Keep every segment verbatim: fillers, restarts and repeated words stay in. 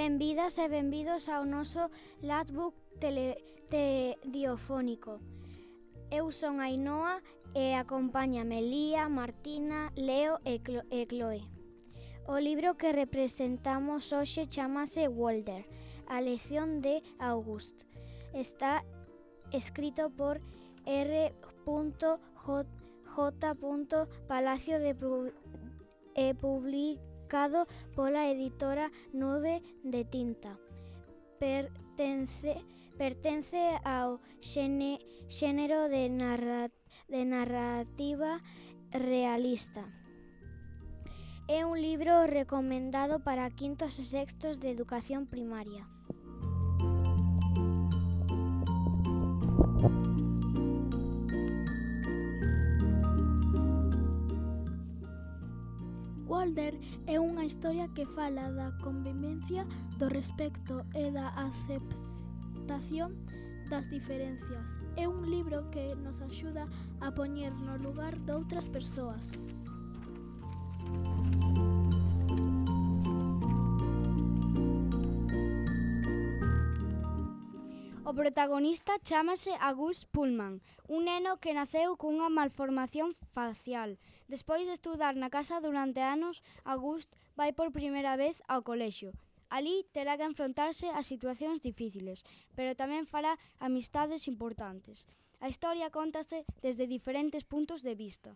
Benvidas e benvidos ao noso Latbook telediofónico. Eu son Ainhoa e acompáñame Lía, Martina, Leo e, Clo- e Chloe. O libro que representamos hoxe chamase Walder, a lección de August. Está escrito por R. J. Palacio de Pu- e publicado pola editora Nube de Tinta. Pertence, pertence ao xene, xénero de, narra, de narrativa realista. É un libro recomendado para quintos e sextos de educación primaria. Walder é unha historia que fala da convivencia, do respecto e da aceptación das diferencias. É un libro que nos axuda a poñer no lugar doutras persoas. O protagonista chámase August Pullman, un neno que naceu cunha malformación facial. Despois de estudar na casa durante anos, August vai por primeira vez ao colexio. Alí terá que enfrontarse a situacións difíciles, pero tamén fará amistades importantes. A historia cóntase desde diferentes puntos de vista.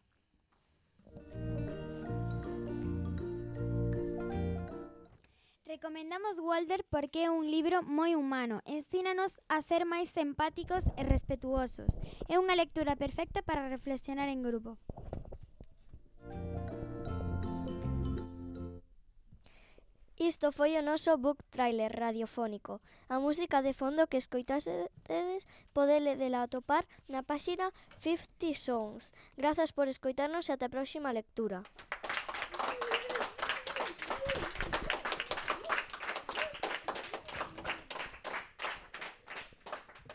Recomendamos Walder porque é un libro moi humano, ensínanos a ser máis empáticos e respetuosos. É unha lectura perfecta para reflexionar en grupo. Isto foi o noso book trailer radiofónico. A música de fondo que escoitasedes podedela atopar na páxina cincuenta Songs. Grazas por escoitarnos e ata a próxima lectura.